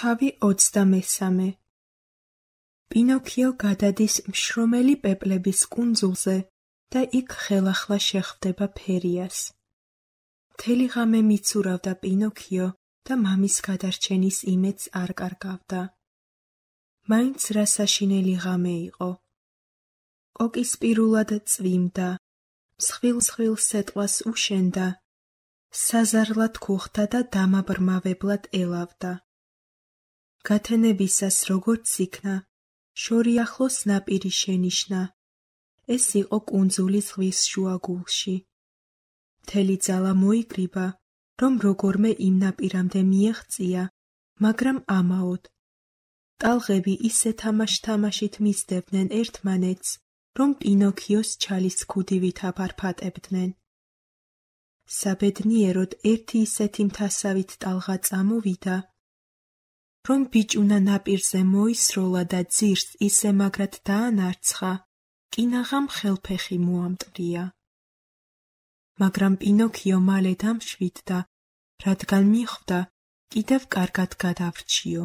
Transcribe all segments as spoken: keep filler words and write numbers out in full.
თავი ოცდამესამე. პინოქიო გადადის მშრომელი პეპლების კუნძულზე და იქ ხელახლა შეხვდება ფერიას. მთელი ღამე მიცურავდა პინოქიო და მამის გადარჩენის იმედს არ კარგავდა. მაინც რა საშინელი ღამე იყო. კოკისპირულად წვიმდა, მსხვილ-მსხვილ სეტყვას უშენდა, საზარლად ქუხდა და დამაბრმავებლად ელავდა. გათენებისას როგორც იქნა, შორი ახლოს ნაპირი შენიშნა. ეს იყო კუნძული ზღვის შუაგულში. მთელი ძალა მოიკრიბა, რომ როგორმე იმ ნაპირამდე მიეღწია, მაგრამ ამაოდ. ტალღები ისე თამაშ-თამაშით მისდევდნენ ერთმანეთს, რომ პინოქიოს ჩალის ქუდივით აფარფატებდნენ. საბედნიეროდ ერთი ისეთი მთასავით ტალღა წამოვიდა, რომ ბიჭუნა ნაპირზე მოისროლა და ძირს ისე მაგრად დაანარცხა, კინაღამ ხელფეხი მოამტვრია. მაგრამ პინოქიო მალე დამშვიდდა, რადგან მიხვდა, კიდევ კარგად გადავრჩიო.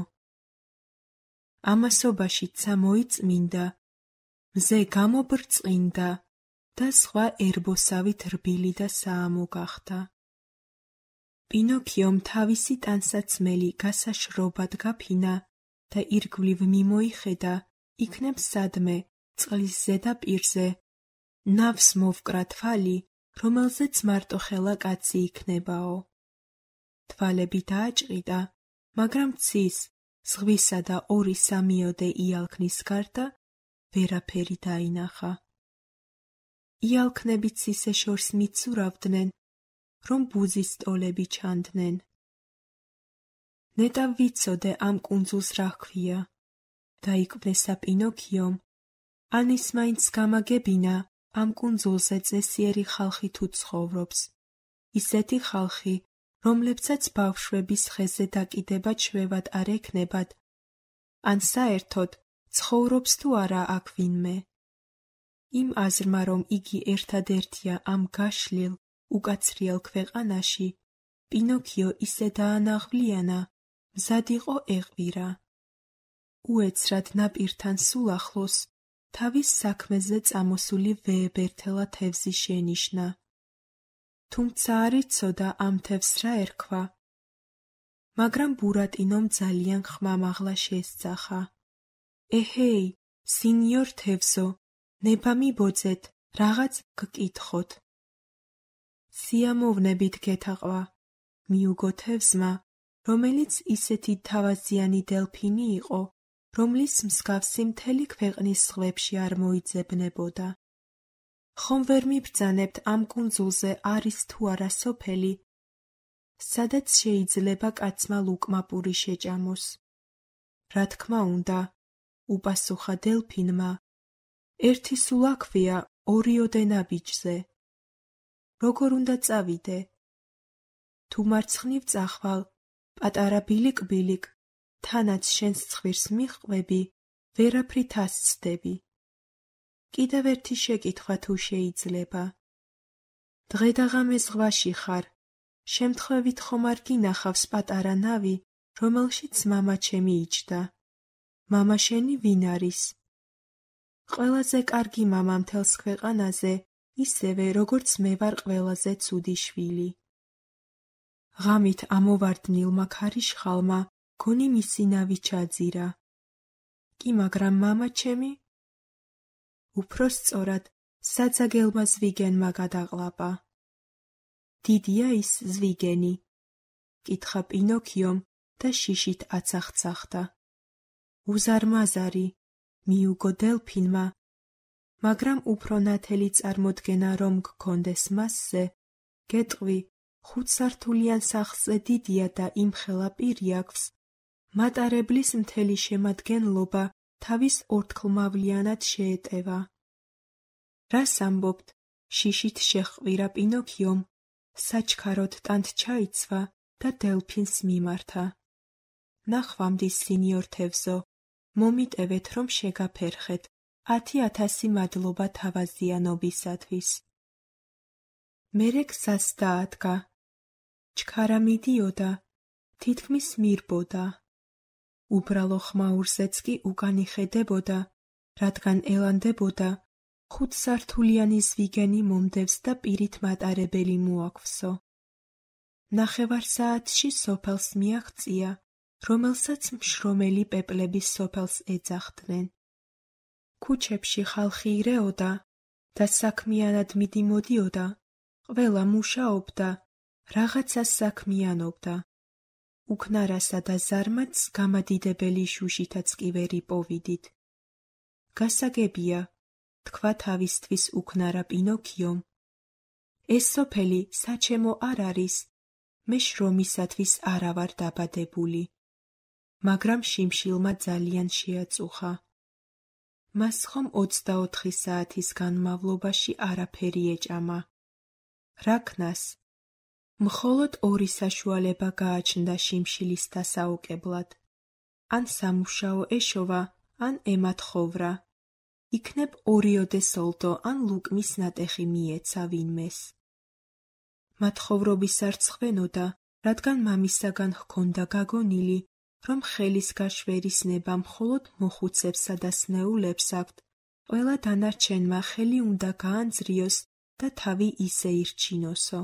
ამასობაში ცა მოიწმინდა, მზე გამობრწყინდა და სხვა ერბოსავით რბილი და საამო გახდა. პინოქიომ თავისი ტანსაცმელი გასაშრობად გაფინა და ირგვლივ მიმოიხედა, იქნებ სადმე, წყლის ზედაპირზე, ნავს მოვკრა თვალი, რომელზეც მარტოხელა კაცი იქნებაო. თვალები დააჭყიდა, მაგრამ ცის, ზღვისა და ორი სამიოდე იალქნის გარდა ვერაფერი დაინახა. იალქნებიც ისე შორს მიცურავდნენ, რომ ბუზის ტოლები ჩანდნენ. ნეტავ ვიცოდე ამ კუნძულს რა ჰქვია, დაიკვნესა პინოქიომ, ან ის მაინც გამაგებინა ამ კუნძულზე წესიერი ხალხი თუ ცხოვრობს, ისეთი ხალხი, რომლებსაც ბავშვების ხეზე დაკიდება ჩვევად არ ექნებათ, ან საერთოდ ცხოვრობს თუ არა აქ ვინმე. იმ აზრმა, რომ იგი ერთადერთია ამ გაშლილ, უკაცრიელ ქვეყანაში, პინოქიო ისე დაანაღვლიანა, მზად იყო ეღვირა. უეცრად ნაპირთან სულ ახლოს, თავის საქმეზე წამოსული ვეებერთელა თევზი შენიშნა. თუმცა არ იცოდა ამ თევზს რა ერქვა. მაგრამ ბურატინომ ძალიან ხმამაღლა შესძახა. ეჰეი, სინიორ თევზო, ნება მიბოძეთ, რაღაც გკითხოთ. სიამოვნებით გეთაყვა, მიუგო თევზმა, რომელიც ისეთი თავაზიანი დელფინი იყო, რომლის მსგავსი მთელი ქვეყნის ზღვებში არ მოიძებნებოდა. ხომ ვერ მიბრძანებთ ამ კუნძულზე არის თუ არა სოფელი, სადაც შეიძლება კაცმა ლუკმა პური შეჭამოს. რა თქმა უნდა, უპასუხა დელფინმა, ერთი სულ აქვია ორიოდე ნაბიჯზე. როგორ უნდა წავიდე? თუ მარცხნივ წახვალ, პატარა ბილიკ-ბილიკ, თანაც შენს ცხვირს მიჰყვები, ვერაფრით ასცდები. კიდევ ერთი შეკითხვა თუ შეიძლება. დღე და ღამე ზღვაში ხარ, შემთხვევით ხომ არ გინახავს პატარა ნავი, რომელშიც მამა ჩემი იჯდა. მამა შენი ვინ არის? ყველაზე კარგი მამა მთელს ქვეყანაზე, ისევე როგორც მე ვარ ყველაზე ცუდი შვილი. ღამით ამოვარდნილმა ქარიშხალმა გონი მისი ნავი ჩაძირა. კი მაგრამ მამა ჩემი? უფრო სწორად, საძაგელმა ზვიგენმა გადაყლაპა. დიდია ის ზვიგენი? კითხა პინოქიომ და შიშით აცახცახდა. უზარმაზარი, მიუგო დელფინმა, მაგრამ უფრო ნათელი წარმოდგენა რომ გქონდეს მასზე, გეტყვი, ხუთსართულიან სახლზე დიდია და იმხელა პირი აქვს, მატარებლის მთელი შემადგენლობა თავის ორთქლმავლიანად შეეტევა. რას ამბობთ? შიშით შეჰყვირა პინოქიომ, საჩქაროდ ტანთ ჩაიცვა და დელფინს მიმართა. ნახვამდის სინიორ თევზო, მომიტევეთ რომ შეგაფერხეთ, ათი ათასი მადლობა თავაზიანობისათვის. მერე გზას დაადგა. ჩქარა მიდიოდა, თითქმის მირბოდა. უბრალო ხმაურზეც კი უკან იხედებოდა, რადგან ელანდებოდა ხუთსართულიანი ზვიგენი მომდევს და პირით მატარებელი მოაქვსო. ნახევარ საათში სოფელს მიაღწია, რომელსაც მშრომელი პეპლების სოფელს ეძახდნენ. ქუჩებში ხალხი ირეოდა და საქმიანად მიდიმოდიოდა, ყველა მუშაობდა, რაღაცას საქმიანობდა. უკნარასა და ზარმაცს გამადიდებელი შუშითაც კი ვერ იპოვიდით. გასაგებია, თქვა თავისთვის უკნარა პინოქიომ, ეს სოფელი საჩემო არ არის, მე შრომისათვის არა ვარ დაბადებული. მაგრამ შიმშილმა ძალიან შეაწუხა. მას ხომ ოცდაოთხი საათის განმავლობაში არაფერი ეჭამა. რა ქნას? მხოლოდ ორი საშუალება გააჩნდა შიმშილის დასაოკებლად. ან სამუშაო ეშოვა, ან ემათხოვრა. იქნებ ორიოდე სოლდო ან ლუკმის ნატეხი მიეცა ვინმეს. მათხოვრობის არ ცხვენოდა, რადგან მამისაგან ჰქონდა გაგონილი, რომ ხელის გაშვერის ნება მხოლოდ მოხუცებსა და სნეულებს აქვთ, ყველა დანარჩენმა ხელი უნდა გაანძრიოს და თავი ისე ირჩინოსო.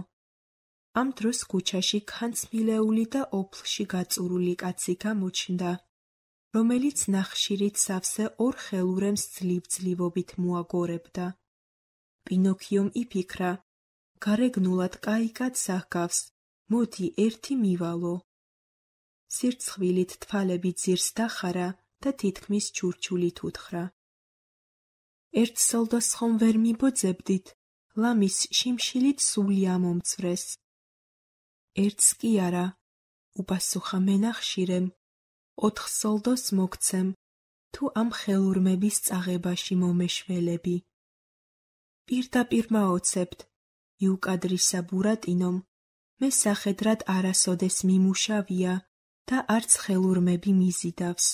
ამ დროს ქუჩაში ქანცმილეული და ოფლში გაწურული კაცი გამოჩნდა, რომელიც ნახშირით სავსე ორ ხელურემს ძლივ-ძლივობით მოაგორებდა. პინოქიომ იფიქრა, გარეგნულად კაი კაცს აღგავს, მოდი ერთი მივალო. სირცხვილით თვალები ძირს დახარა და თითქმის ჩურჩულით უთხრა. ერთ სოლდოს ხომ ვერ მიბოძებდით, ლამის შიმშილით სული ამომწვრეს. ერთს კი არა, უპასუხა მენახშირემ, ოთხ სოლდოს მოგცემ, თუ ამ ხელურმების წაღებაში მომეშველები. პირდაპირ მაოცებთ, იუკადრისა ბურატინომ, მე სახედრად არასოდეს მიმუშავია და არც ხელურმები მიზიდავს.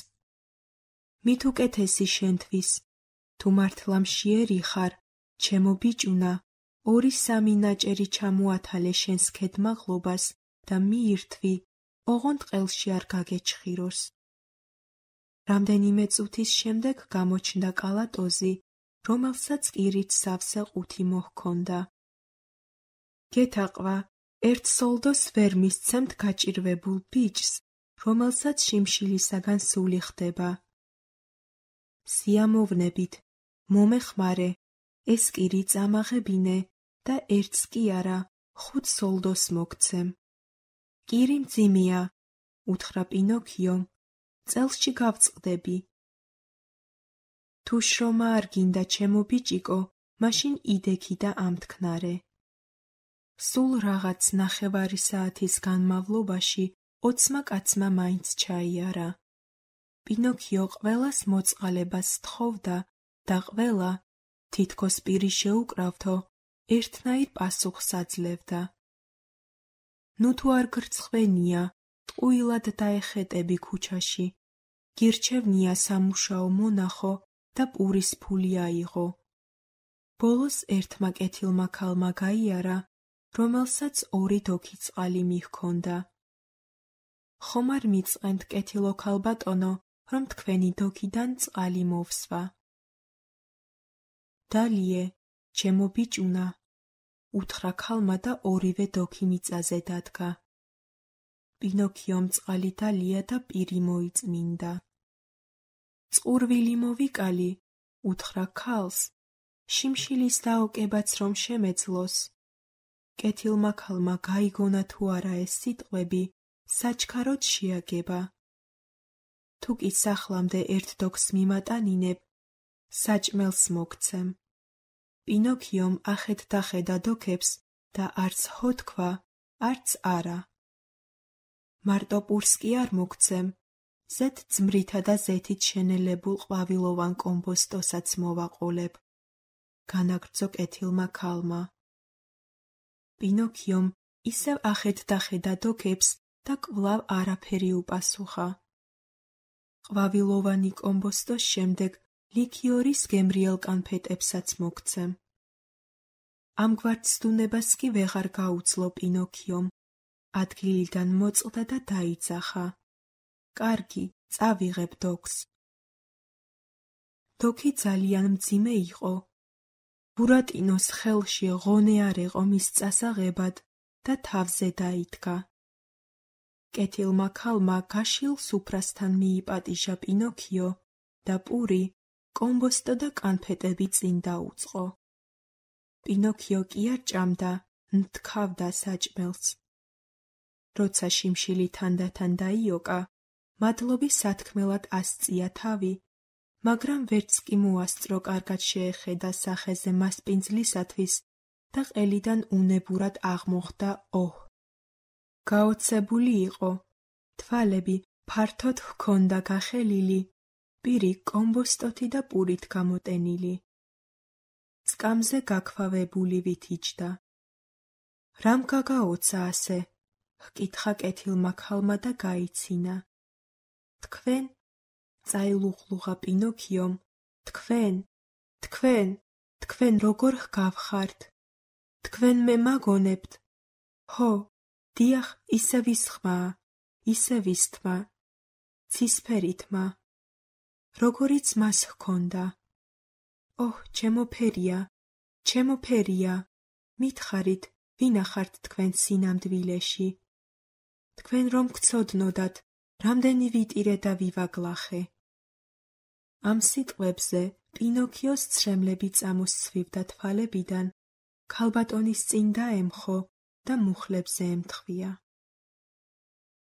მით უკეთესი შენთვის, თუ მართლა მშიერი ხარ, ჩემო ბიჭუნა, ორი სამი ნაჭერი ჩამოათალე შენს ქედმაღლობას და მიირთვი, ოღონდ ყელში არ გაგეჩხიროს. რამდენიმე წუთის შემდეგ გამოჩნდა კალატოზი, რომელსაც კირით სავსე ყუთი მოჰქონდა. გეთაყვა, ერთ სოლდოს ვერ მისცემთ გაჭირვებულ ბიჭს, რომელსაც შიმშილისაგან სული ხდება. სიამოვნებით, მომეხმარე, ეს კირი წამაღებინე და ერთს კი არა, ხუთ სოლდოს მოგცემ. კირი მძიმეა, უთხრა პინოქიომ, წელსში გავწყდები. თუ შრომა არ გინდა ჩემო ბიჭიკო, მაშინ იდექი და ამთქნარე. სულ რაღაც ნახევარი საათის განმავლობაში ოცმა კაცმა მაინც ჩაიარა. პინოქიო ყველას მოწყალებას თხოვდა და ყველა, თითქოს პირი შეუკრავთო, ერთნაირ პასუხს აძლევდა. ნუ თუ არ გრცხვენია, ტყუილად დაეხეტები ქუჩაში, გირჩევნია სამუშაო მონახო და პურის ფული აიღო. ბოლოს ერთმა კეთილმა ქალმა გაიარა, რომელსაც ორი დოქი წყალი მიჰქონდა. ხომ არ მიწყენთ კეთილო ქალბატონო, რომ თქვენი დოქიდან წყალი მოვსვა. დალიე, ჩემო ბიჭუნა, უთხრა ქალმა და ორივე დოქი მიწაზე დადგა. პინოქიომ წყალი დალია და პირი მოიწმინდა. წყურვილი მოვიკალი, უთხრა ქალს, შიმშილის დაოკებაც რომ შემეძლოს. კეთილმა ქალმა გაიგონა თუ არა ეს სიტყვები, საჩქაროდ შეაგება. თუ კი სახლამდე ერთ დოქს მიმატანინებ, საჭმელს მოგცემ. პინოქიომ ახეთ-დახედა დოქებს და არც ჰო თქვა, არც არა. მარტო პურს კი არ მოგცემ, ზეთ ძმრითა და ზეთით შენელებულ ყვავილოვან კომბოსტოსაც მოვაყოლებ. განაგრძო კეთილმა ქალმა. პინოქიომ ისევ ახეთ-დახედა დოქებს და კვლავ არაფერი უპასუხა. ყვავილოვანი კომბოსტოს შემდეგ ლიქიორის გემრიელ კანფეტებსაც მოგცემ. ამგვარ ცდუნებას კი ვეღარ გაუძლო პინოქიომ. ადგილიდან მოწყდა და დაიძახა. კარგი, წავიღებ დოკს. დოქი ძალიან მძიმე იყო. ბურატინოს ხელში ღონე არ იყო მის წასაღებად და თავზე დაიდგა. კეთილმა ქალმა გაშილ სუფრასთან მიიპატიჟა პინოქიო და პური, კომბოსტო და კანფეტები წინ დაუწყო. პინოქიო კი არ ჭამდა, ნთქავდა საჭმელს. როცა შიმშილი თანდათან დაიოკა, მადლობის სათქმელად ასწია თავი, მაგრამ ვერც კი მოასწრო კარგად შეეხედა სახეზე მასპინძლისათვის და ყელიდან უნებურად აღმოხდა ოჰ. გაოცებული იყო, თვალები ფართოდ ჰქონდა გახელილი, პირი კომბოსტოთი და პურით გამოტენილი. სკამზე გაქვავებული ვითიჯდა. რამ გაგაოცა ასე? ჰკითხა კეთილმა ქალმა და გაიცინა. თქვენ? წაილუღლუღა პინოქიომ. თქვენ, თქვენ, თქვენ როგორ ჰგავხართ? თქვენ მე მაგონებთ? ჰო, დიახ, ისე ვისხმაა, ისე ვისთმა, ცისფერი თმა. როგორიც მას ჰქონდა. ოჰ, ჩემო ფერია, ჩემო ფერია, მითხარით, ვინახართ თქვენ სინამდვილეში. თქვენ რომ გცოდნოდათ, რამდენი ვიტირე და ვივაგლახე. ამ სიტყვებზე პინოქიოს ცრემლები წამოსცვივდა თვალებიდან, ქალბატონის წინ დაემხო და მუხლებზე ემთხვია.